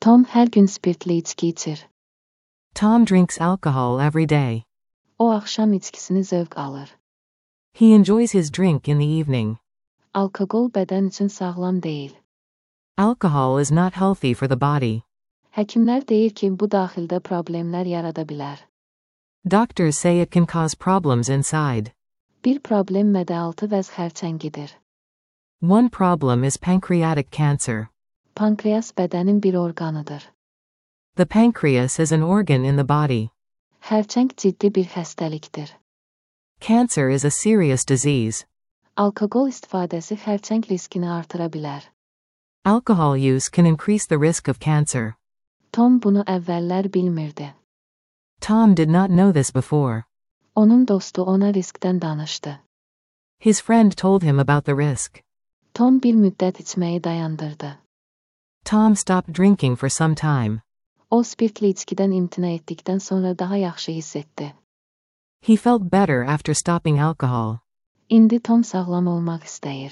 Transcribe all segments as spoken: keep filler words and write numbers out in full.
Tom her gün spirtli içki içir. Tom drinks alcohol every day. O akşam içkisini zevk alır. He enjoys his drink in the evening. Alkogol beden için sağlam değil. Alcohol is not healthy for the body. Həkimlər deyir ki, bu daxildə problemlər yarada bilər. Doctors say it can cause problems inside. Bir problem mədə-altı vəz xərçəngidir. One problem is pancreatic cancer. Pankreas bədənin bir orqanıdır. The pancreas is an organ in the body. Xərçəng ciddi bir xəstəlikdir. Cancer is a serious disease. Alkoqol istifadəsi xərçəng riskini artıra bilər. Alcohol use can increase the risk of cancer. Tom bunu əvvəllər bilmirdi. Tom did not know this before. Onun dostu ona riskdən danışdı. His friend told him about the risk. Tom bir müddət içməyi dayandırdı. Tom stopped drinking for some time. O spirtli içkidən imtina etdikdən sonra daha yaxşı hiss etdi. He felt better after stopping alcohol. İndi Tom sağlam olmaq istəyir.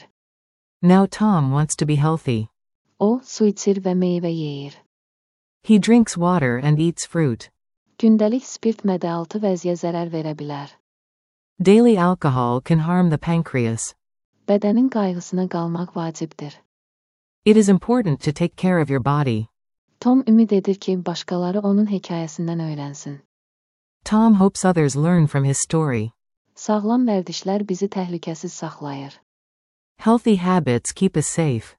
Now Tom wants to be healthy. O, su içir və meyvə yeyir. He drinks water and eats fruit. Gündəlik spirt mədə-altı vəziyə zərər verə bilər. Daily alcohol can harm the pancreas. Bədənin qayğısına qalmaq vacibdir. It is important to take care of your body. Tom ümid edir ki, başqaları onun hekayəsindən öyrənsin. Tom hopes others learn from his story. Sağlam vərdişlər bizi təhlükəsiz saxlayır. Healthy habits keep us safe.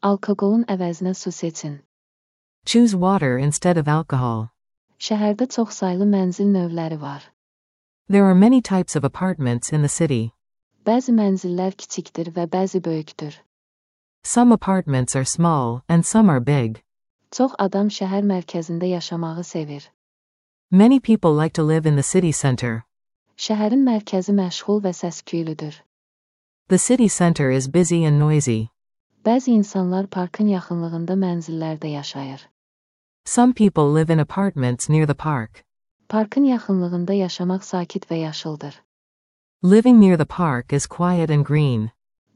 Alkoqolun əvəzinə su seçin. Choose water instead of alcohol. Şəhərdə çoxsaylı mənzil növləri var. There are many types of apartments in the city. Bəzi mənzillər kiçikdir və bəzi böyükdür. Some apartments are small and some are big. Çox adam şəhər mərkəzində yaşamağı sevir. Many people like to live in the city center. Şəhərin mərkəzi məşğul və səs-küylüdür. The city center is busy and noisy. Bəzi insanlar parkın yaxınlığında mənzillərdə yaşayır. Some people live in apartments near the park. Parkın yaxınlığında yaşamaq sakit və yaşıldır. Living near the park is quiet and green.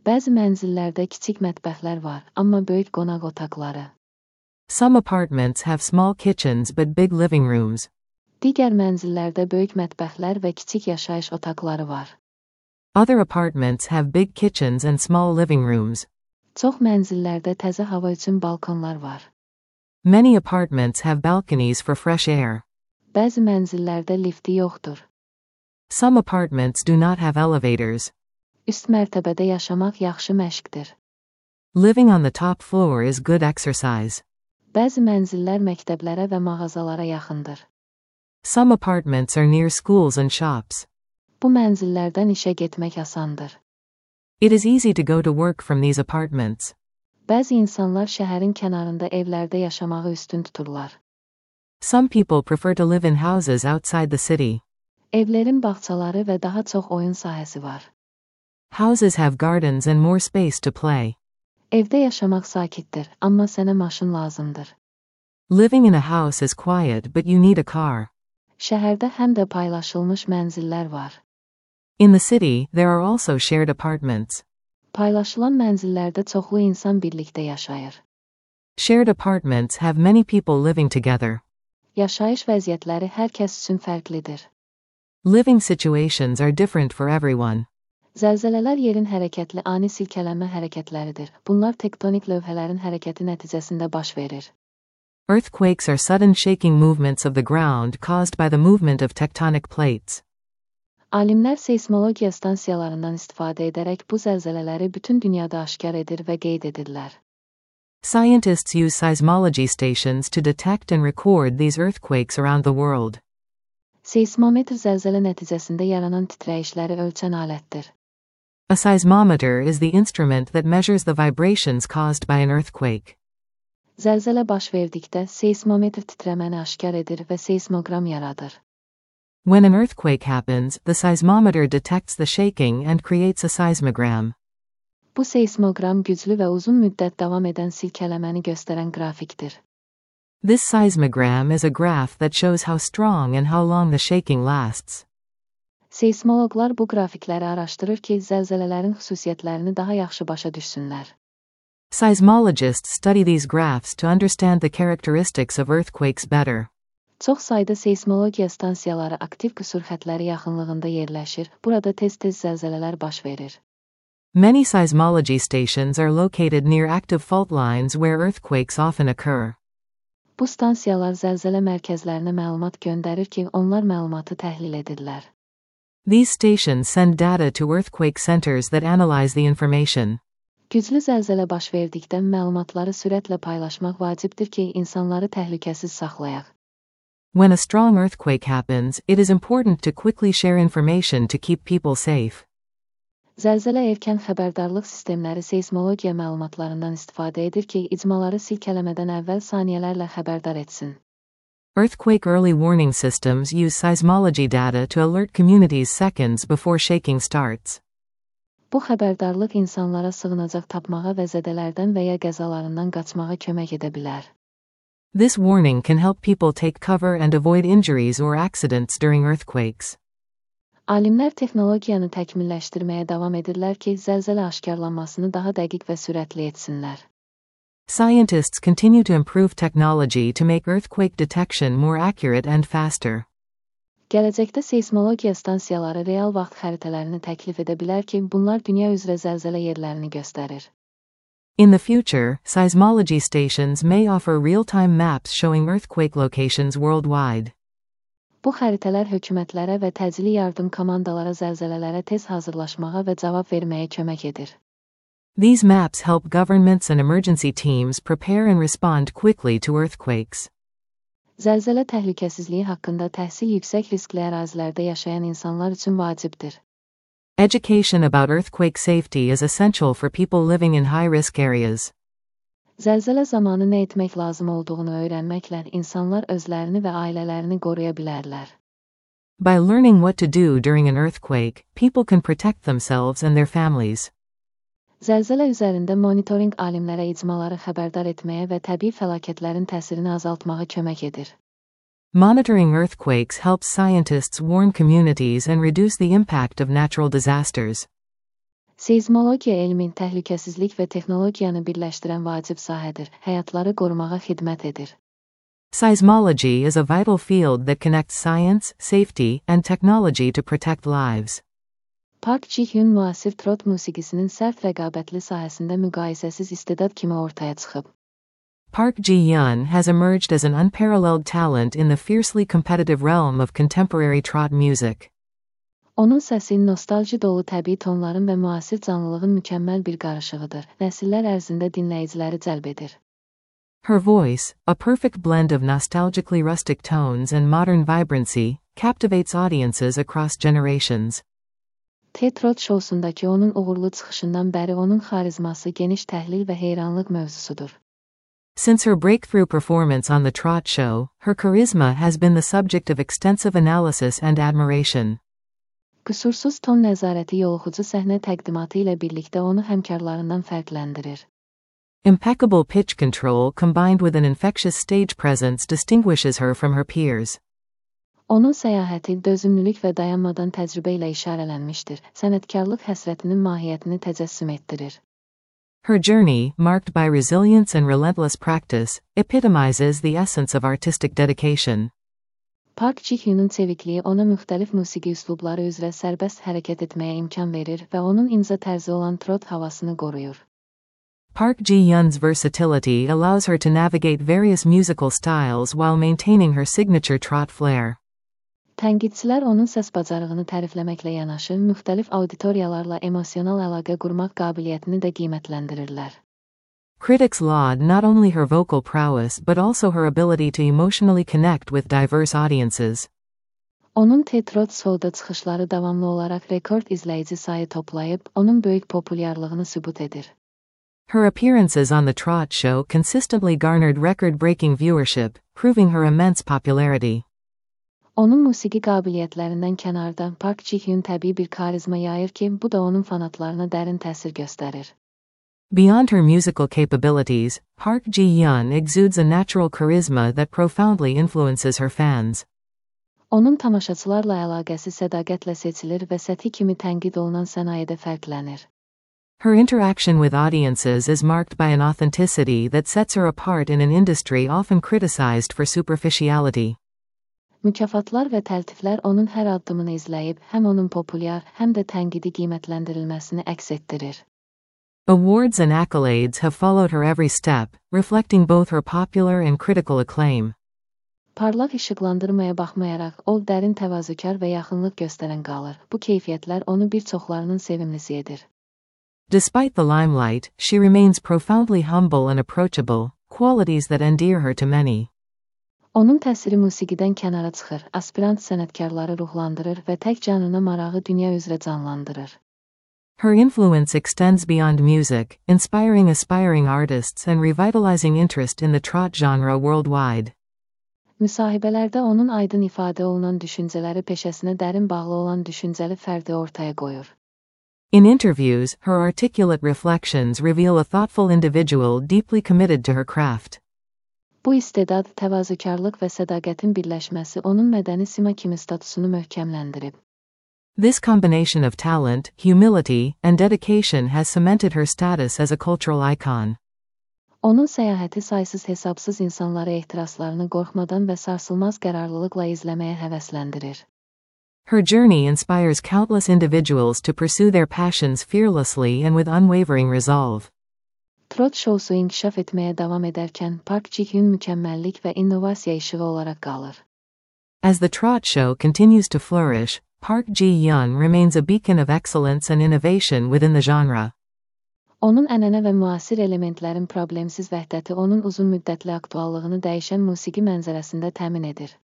Bəzi mənzillərdə kiçik mətbəxlər var, amma böyük qonaq otaqları. Some apartments have small kitchens but big living rooms. Digər mənzillərdə böyük mətbəxlər və kiçik yaşayış otaqları var. Other apartments have big kitchens and small living rooms. Çox mənzillərdə təzə hava üçün balkonlar var. Many apartments have balconies for fresh air. Bəzi mənzillərdə lifti yoxdur. Some apartments do not have elevators. Üst mərtəbədə yaşamaq yaxşı məşqdir. Living on the top floor is good exercise. Bəzi mənzillər məktəblərə və mağazalara yaxındır. Some apartments are near schools and shops. Bu mənzillərdən işə getmək asandır. It is easy to go to work from these apartments. Bəzi insanlar şəhərin kənarında evlərdə yaşamağı üstün tuturlar. Some people prefer to live in houses outside the city. Evlərin bağçaları və daha çox oyun sahəsi var. Houses have gardens and more space to play. Evdə yaşamaq sakitdir, amma sənə maşın lazımdır. Living in a house is quiet but you need a car. Şəhərdə həm də paylaşılmış mənzillər var. In the city, there are also shared apartments. Paylaşılan mənzillərdə çoxlu insan birlikdə yaşayır. Shared apartments have many people living together. Yaşayış vəziyyətləri hər kəs üçün fərqlidir. Living situations are different for everyone. Zəlzələlər yerin hərəkətli ani silkələnmə hərəkətləridir. Bunlar tektonik lövhələrin hərəkəti nəticəsində baş verir. Earthquakes are sudden shaking movements of the ground caused by the movement of tectonic plates. Alimlər seismologiya stansiyalarından istifadə edərək bu zəlzələləri bütün dünyada aşkar edir və qeyd edirlər. Scientists use seismology stations to detect and record these earthquakes around the world. Seismometr zəlzələ nəticəsində yaranan titrəyişləri ölçən alətdir. A seismometer is the instrument that measures the vibrations caused by an earthquake. Zəlzələ baş verdikdə seismometr titrəməni aşkar edir və seismoqram yaradır. When an earthquake happens, the seismometer detects the shaking and creates a seismogram. Bu seismoqram güclü və uzun müddət davam edən silkələməni göstərən qrafikdir. This seismogram is a graph that shows how strong and how long the shaking lasts. Seismoloqlar bu qrafikləri araşdırır ki, zəlzələlərin xüsusiyyətlərini daha yaxşı başa düşsünlər. Seismologists study these graphs to understand the characteristics of earthquakes better. Çox sayda seismologiya stansiyaları aktiv qüsur xəttləri yaxınlığında yerləşir. Burada tez-tez zəlzələlər baş verir. Many seismology stations are located near active fault lines where earthquakes often occur. Bu stansiyalar zəlzələ mərkəzlərinə məlumat göndərir ki, onlar məlumatı təhlil edirlər. These stations send data to earthquake centers that analyze the information. Güclü zəlzələ baş verdikdə məlumatları sürətlə paylaşmaq vacibdir ki, insanları təhlükəsiz saxlayaq. When a strong earthquake happens, it is important to quickly share information to keep people safe. Zəlzələ erkən xəbərdarlıq sistemləri seismologiya məlumatlarından istifadə edir ki, icmaları silkələmədən əvvəl saniyələrlə xəbərdar etsin. Earthquake early warning systems use seismology data to alert communities seconds before shaking starts. Bu xəbərdarlıq insanlara sığınacaq tapmağa və zədələrdən və ya qəzalarından qaçmağa kömək edə bilər. This warning can help people take cover and avoid injuries or accidents during earthquakes. Alimlər texnologiyanı təkmilləşdirməyə davam edirlər ki, zəlzələ aşkarlanmasını daha dəqiq və sürətli etsinlər. Scientists continue to improve technology to make earthquake detection more accurate and faster. Gələcəkdə seismologiya stansiyaları real vaxt xəritələrini təklif edə bilər ki, bunlar dünya üzrə zəlzələ yerlərini göstərir. In the future, seismology stations may offer real-time maps showing earthquake locations worldwide. Bu xəritələr hökumətlərə və təcili yardım komandalara zəlzələlərə tez hazırlaşmağa və cavab verməyə kömək edir. These maps help governments and emergency teams prepare and respond quickly to earthquakes. Zəlzələ təhlükəsizliyi haqqında təhsil yüksək riskli ərazilərdə yaşayan insanlar üçün vacibdir. Education about earthquake safety is essential for people living in high-risk areas. Zəlzələ zamanı nə etmək lazım olduğunu öyrənməklə insanlar özlərini və ailələrini qoruya bilərlər. By learning what to do during an earthquake, people can protect themselves and their families. Zəlzələ üzərində monitoring alimlərə icmaları xəbərdar etməyə və təbii fəlakətlərin təsirini azaltmağa kömək edir. Monitoring earthquakes helps scientists warn communities and reduce the impact of natural disasters. Seizmologiya elmin təhlükəsizlik və texnologiyanı birləşdirən vacib sahədir, həyatları qorumağa xidmət edir. Seismology is a vital field that connects science, safety, and technology to protect lives. Park Ji-hyun müasir trot musiqisinin sərt rəqabətli sahəsində müqayisəsiz istedad kimi ortaya çıxıb. Park Ji-hyun has emerged as an unparalleled talent in the fiercely competitive realm of contemporary trot music. Onun səsi nostalji dolu təbii tonların və müasir canlılığın mükəmməl bir qarışığıdır. Nəsillər ərzində dinləyiciləri cəlb edir. Her voice, a perfect blend of nostalgically rustic tones and modern vibrancy, captivates audiences across generations. T-Trot şousundakı onun uğurlu çıxışından bəri onun xarizması geniş təhlil və heyranlıq mövzusudur. Since her breakthrough performance on The Trot Show, her charisma has been the subject of extensive analysis and admiration. Qüsursuz ton nəzarəti yoluxucu səhnə təqdimatı ilə birlikdə onu həmkarlarından fərqləndirir. Impeccable pitch control combined with an infectious stage presence distinguishes her from her peers. Onun səyahəti dözümlülük və dayanmadan təcrübə ilə işarələnmişdir. Sənətkarlıq həsrətinin mahiyyətini təcəssüm etdirir. Her journey, marked by resilience and relentless practice, epitomizes the essence of artistic dedication. Park Ji-hyunun çevikliyi ona müxtəlif musiqi üslubları üzrə sərbəst hərəkət etməyə imkan verir və onun imza tərzi olan trot havasını qoruyur. Park Ji-hyun's versatility allows her to navigate various musical styles while maintaining her signature trot flair. Tənqidçilər onun səs bacarığını tərifləməklə yanaşı, müxtəlif auditoriyalarla emosional əlaqə qurmaq qabiliyyətini də qiymətləndirirlər. Critics laud not only her vocal prowess but also her ability to emotionally connect with diverse audiences. Onun T-Trot Show'da çıxışları davamlı olaraq rekord izləyici sayı toplayıb, onun böyük populyarlığını sübut edir. Her appearances on The Trot Show consistently garnered record-breaking viewership, proving her immense popularity. Onun musiqi qabiliyyətlərindən kənarda Park Ji-hyun təbii bir karizma yayır ki, bu da onun fanatlarına dərin təsir göstərir. Beyond her musical capabilities, Park Ji-hyun exudes a natural charisma that profoundly influences her fans. Onun tamaşaçılarla əlaqəsi sədaqətlə seçilir və səthi kimi tənqid olunan sənayedə fərqlənir. Her interaction with audiences is marked by an authenticity that sets her apart in an industry often criticized for superficiality. Mükafatlar və təltiflər onun hər addımını izləyib, həm onun populyar, həm də tənqidi qiymətləndirilməsini əks etdirir. Awards and accolades have followed her every step, reflecting both her popular and critical acclaim. Parlaq işıqlandırmaya baxmayaraq, o dərin təvazökar və yaxınlıq göstərən qalır. Bu keyfiyyətlər onu bir çoxlarının sevimlisi edir. Despite the limelight, she remains profoundly humble and approachable, qualities that endear her to many. Onun təsiri musiqidən kənara çıxır, aspirant sənətkarları ruhlandırır və tək canına marağı dünya üzrə canlandırır. Her influence extends beyond music, inspiring aspiring artists and revitalizing interest in the trot genre worldwide. Müsahibələrdə onun aydın ifadə olunan düşüncələri peşəsinə dərin bağlı olan düşüncəli fərdi ortaya qoyur. In interviews, her articulate reflections reveal a thoughtful individual deeply committed to her craft. Bu istedad, təvazökarlıq və sədaqətin birləşməsi onun mədəni sima kimi statusunu möhkəmləndirib. This combination of talent, humility, and dedication has cemented her status as a cultural icon. Onun səyahəti saysız-hesabsız insanları ehtiraslarını qorxmadan və sarsılmaz qərarlılıqla izləməyə həvəsləndirir. Her journey inspires countless individuals to pursue their passions fearlessly and with unwavering resolve. Trot şousu inkişaf etməyə davam edərkən, Park Ji-hyun mükəmməllik və innovasiya işığı olaraq qalır. As the trot show continues to flourish, Park Ji-hyun remains a beacon of excellence and innovation within the genre. Onun ənənə və müasir elementlərin problemsiz vəhdəti onun uzun müddətli aktuallığını dəyişən musiqi mənzərəsində təmin edir.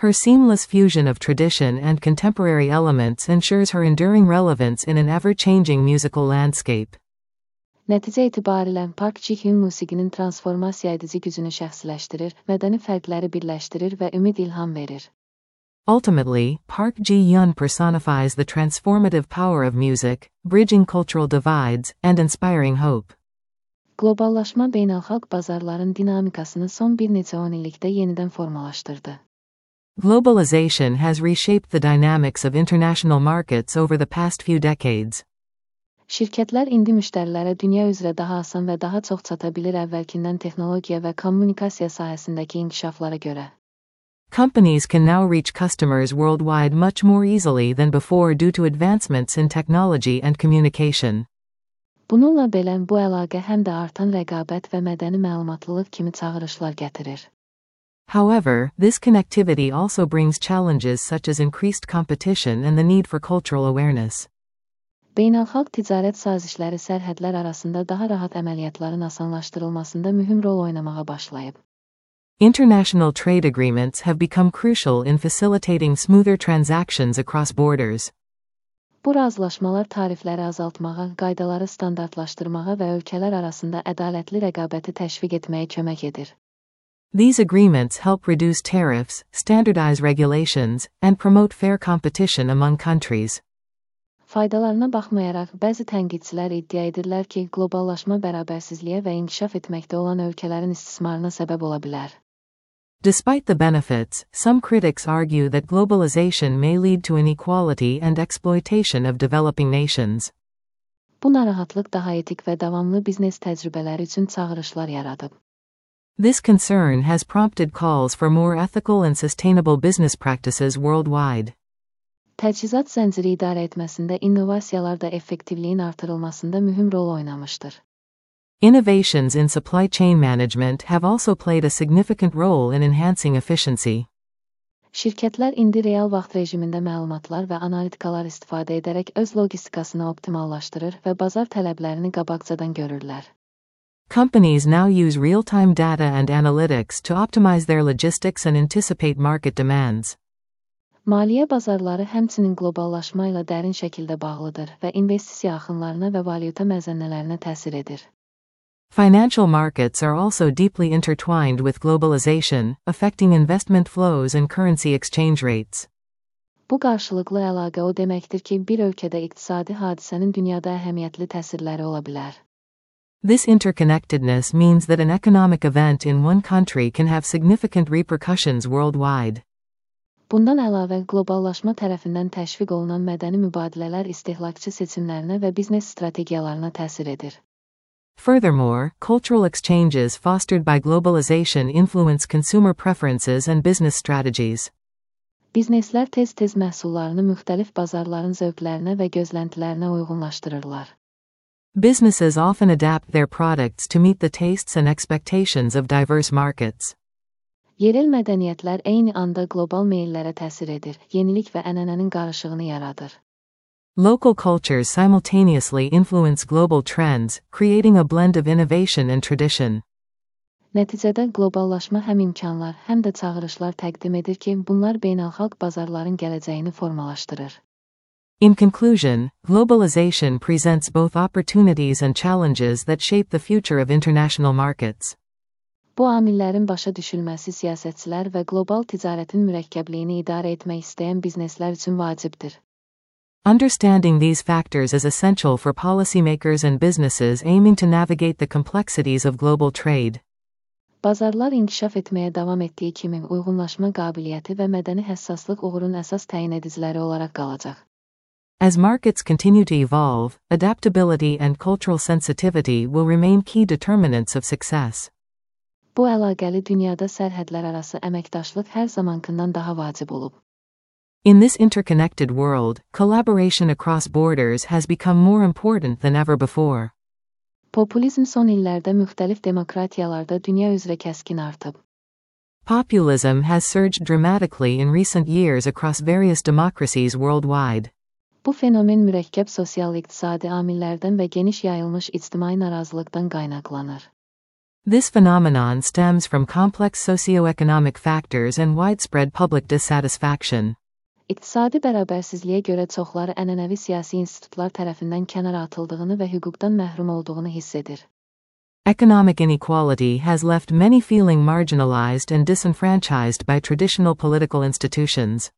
Her seamless fusion of tradition and contemporary elements ensures her enduring relevance in an ever-changing musical landscape. Nəticə etibarilə, Park Ji-hyun musiqinin transformasiya edici gücünü şəxsiləşdirir, mədəni fərqləri birləşdirir və ümid ilham verir. Ultimately, Park Ji-hyun personifies the transformative power of music, bridging cultural divides, and inspiring hope. Qloballaşma beynəlxalq bazarların dinamikasını son bir neçə on illikdə yenidən formalaşdırdı. Globalization has reshaped the dynamics of international markets over the past few decades. Şirkətlər indi müştərilərə dünya üzrə daha asan və daha çox çata bilir əvvəlkindən texnologiya və kommunikasiya sahəsindəki inkişaflara görə. Companies can now reach customers worldwide much more easily than before due to advancements in technology and communication. Bununla belə, bu əlaqə həm də artan rəqabət və mədəni məlumatlılıq kimi çağırışlar gətirir. However, this connectivity also brings challenges such as increased competition and the need for cultural awareness. Beynəlxalq ticarət sazişləri sərhədlər arasında daha rahat əməliyyatların asanlaşdırılmasında mühüm rol oynamağa başlayıb. International trade agreements have become crucial in facilitating smoother transactions across borders. Bu razılaşmalar tarifləri azaltmağa, qaydaları standartlaşdırmağa və ölkələr arasında ədalətli rəqabəti təşviq etməyə kömək edir. These agreements help reduce tariffs, standardize regulations, and promote fair competition among countries. Faydalarına baxmayaraq, bəzi tənqidçilər iddia edirlər ki, qloballaşma bərabərsizliyə və inkişaf etməkdə olan ölkələrin istismarına səbəb ola bilər. Despite the benefits, some critics argue that globalization may lead to inequality and exploitation of developing nations. Bu narahatlıq daha etik və davamlı biznes təcrübələri üçün çağırışlar yaradıb. This concern has prompted calls for more ethical and sustainable business practices worldwide. Təchizat zənciri idarə etməsində innovasiyalar da effektivliyin artırılmasında mühüm rol oynamışdır. Innovations in supply chain management have also played a significant role in enhancing efficiency. Şirkətlər indi real vaxt rejimində məlumatlar və analitikalar istifadə edərək öz logistikasını optimallaşdırır və bazar tələblərini qabaqcadan görürlər. Companies now use real-time data and analytics to optimize their logistics and anticipate market demands. Maliyyə bazarları həmçinin qloballaşma ilə dərin şəkildə bağlıdır və investisiya axınlarına və valyuta məzənnələrinə təsir edir. Financial markets are also deeply intertwined with globalization, affecting investment flows and currency exchange rates. Bu qarşılıqlı əlaqə o deməkdir ki, bir ölkədə iqtisadi hadisənin dünyada əhəmiyyətli təsirləri ola bilər. This interconnectedness means that an economic event in one country can have significant repercussions worldwide. Bundan əlavə, qloballaşma tərəfindən təşviq olunan mədəni mübadilələr istehlakçı seçimlərinə və biznes strategiyalarına təsir edir. Furthermore, cultural exchanges fostered by globalization influence consumer preferences and business strategies. Bizneslər tez-tez məhsullarını müxtəlif bazarların zövqlərinə və gözləntilərinə uyğunlaşdırırlar. Businesses often adapt their products to meet the tastes and expectations of diverse markets. Yerel mədəniyyətlər eyni anda qlobal meyllərə təsir edir, yenilik və ənənənin qarışığını yaradır. Local cultures simultaneously influence global trends, creating a blend of innovation and tradition. Nəticədə qloballaşma həm imkanlar, həm də çağırışlar təqdim edir ki, bunlar beynəlxalq bazarların gələcəyini formalaşdırır. In conclusion, globalization presents both opportunities and challenges that shape the future of international markets. Bu amillərin başa düşülməsi siyasətçilər və qlobal ticarətin mürəkkəbliyini idarə etmək istəyən bizneslər üçün vacibdir. Understanding these factors is essential for policymakers and businesses aiming to navigate the complexities of global trade. Bazarlar inkişaf etməyə davam etdiyi kimi uyğunlaşma qabiliyyəti və mədəni həssaslıq uğurun əsas təyin ediciləri olaraq qalacaq. As markets continue to evolve, adaptability and cultural sensitivity will remain key determinants of success. Bu əlaqəli dünyada sərhədlərarası əməkdaşlıq hər zamankından daha vacib olub. In this interconnected world, collaboration across borders has become more important than ever before. Populizm son illərdə müxtəlif demokratiyalarda dünya üzrə kəskin artıb. Populism has surged dramatically in recent years across various democracies worldwide. Bu fenomen mürəkkəb sosial-iqtisadi amillərdən və geniş yayılmış ictimai narazılıqdan qaynaqlanır. This phenomenon stems from complex socioeconomic factors and widespread public dissatisfaction. İqtisadi bərabərsizliyə görə çoxları ənənəvi siyasi institutlar tərəfindən kənara atıldığını və hüquqdan məhrum olduğunu hiss edir. Economic inequality has left many feeling marginalized and disenfranchised by traditional political institutions.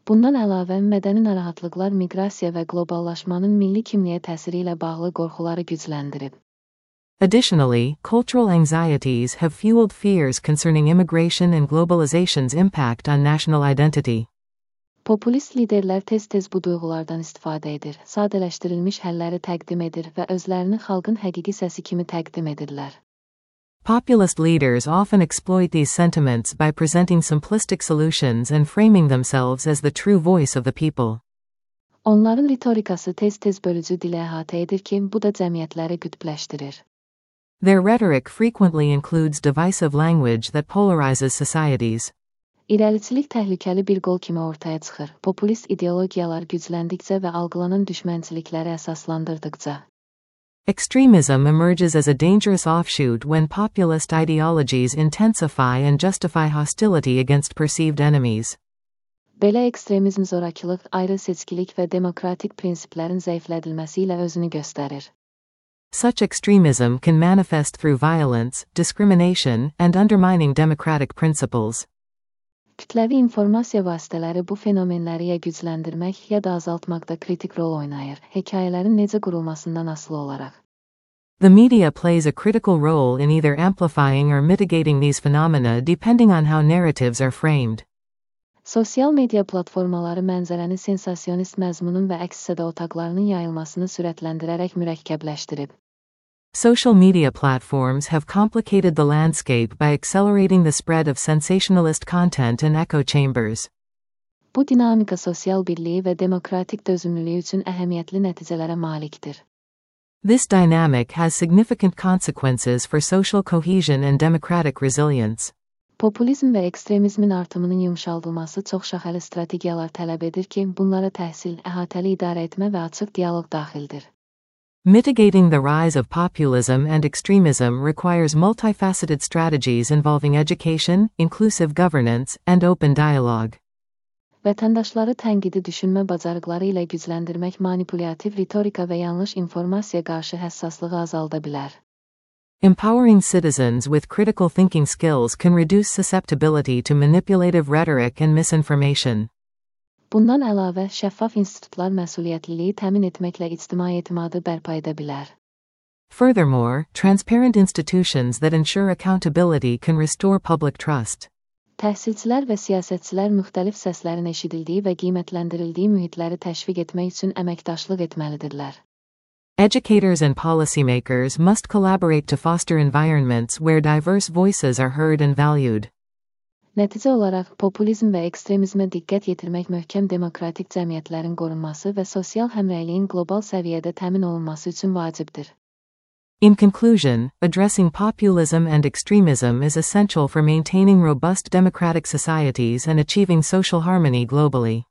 Bundan əlavə, mədəni narahatlıqlar miqrasiya və qloballaşmanın milli kimliyə təsiri ilə bağlı qorxuları gücləndirib. Additionally, cultural anxieties have fueled fears concerning immigration and globalization's impact on national identity. Populist liderlər tez-tez bu duyğulardan istifadə edir, sadələşdirilmiş həlləri təqdim edir və özlərini xalqın həqiqi səsi kimi təqdim edirlər. Populist leaders often exploit these sentiments by presenting simplistic solutions and framing themselves as the true voice of the people. Onların ritorikası tez-tez bölücü dilə əhatə edir ki, bu da cəmiyyətləri qütbləşdirir. Their rhetoric frequently includes divisive language that polarizes societies. İrəliçilik təhlükəli bir qol kimi ortaya çıxır. Populist ideologiyalar gücləndikcə və algılanan düşmənçilikləri əsaslandırdıqca. Extremism emerges as a dangerous offshoot when populist ideologies intensify and justify hostility against perceived enemies. Belə ekstremizm zorakılıq, ayrı seçkilik və demokratik prinsiplərin zəiflədilməsi ilə özünü göstərir. Such extremism can manifest through violence, discrimination, and undermining democratic principles. Kütləvi informasiya vasitələri bu fenomenləri ya gücləndirmək ya da azaltmaqda kritik rol oynayır, hekayələrin necə qurulmasından asılı olaraq. The media plays a critical role in either amplifying or mitigating these phenomena depending on how narratives are framed. Sosial media platformaları mənzərəni sensasionist məzmunun və əks-səda otaqlarının yayılmasını sürətləndirərək mürəkkəbləşdirib. Social media platforms have complicated the landscape by accelerating the spread of sensationalist content and echo chambers. Bu dinamika sosial birliyi və demokratik dözümlülüyü üçün əhəmiyyətli nəticələrə malikdir. This dynamic has significant consequences for social cohesion and democratic resilience. Populizm və ekstremizmin artımının yumşaldılması çoxşaxəli strategiyalar tələb edir ki, bunlara təhsil, əhatəli idarə etmə və açıq dialoq daxildir. Mitigating the rise of populism and extremism requires multifaceted strategies involving education, inclusive governance, and open dialogue. Vətəndaşları tənqidi düşünmə bacarıqları ilə gücləndirmək manipulyativ ritorika və yanlış informasiya qarşı həssaslığı azalda bilər. Empowering citizens with critical thinking skills can reduce susceptibility to manipulative rhetoric and misinformation. Bundan əlavə, şəffaf institutlar məsuliyyətliliyi təmin etməklə ictimai etimadı bərpa edə bilər. Furthermore, transparent institutions that ensure accountability can restore public trust. Təhsilçilər və siyasətçilər müxtəlif səslərin eşidildiyi və qiymətləndirildiyi mühitləri təşviq etmək üçün əməkdaşlıq etməlidirlər. Educators and policymakers must collaborate to foster environments where diverse voices are heard and valued. Nəticə olaraq, populizm və ekstremizmə diqqət yetirmək möhkəm demokratik cəmiyyətlərin qorunması və sosial həmrəyliyin qlobal səviyyədə təmin olunması üçün vacibdir. In conclusion, addressing populism and extremism is essential for maintaining robust democratic societies and achieving social harmony globally.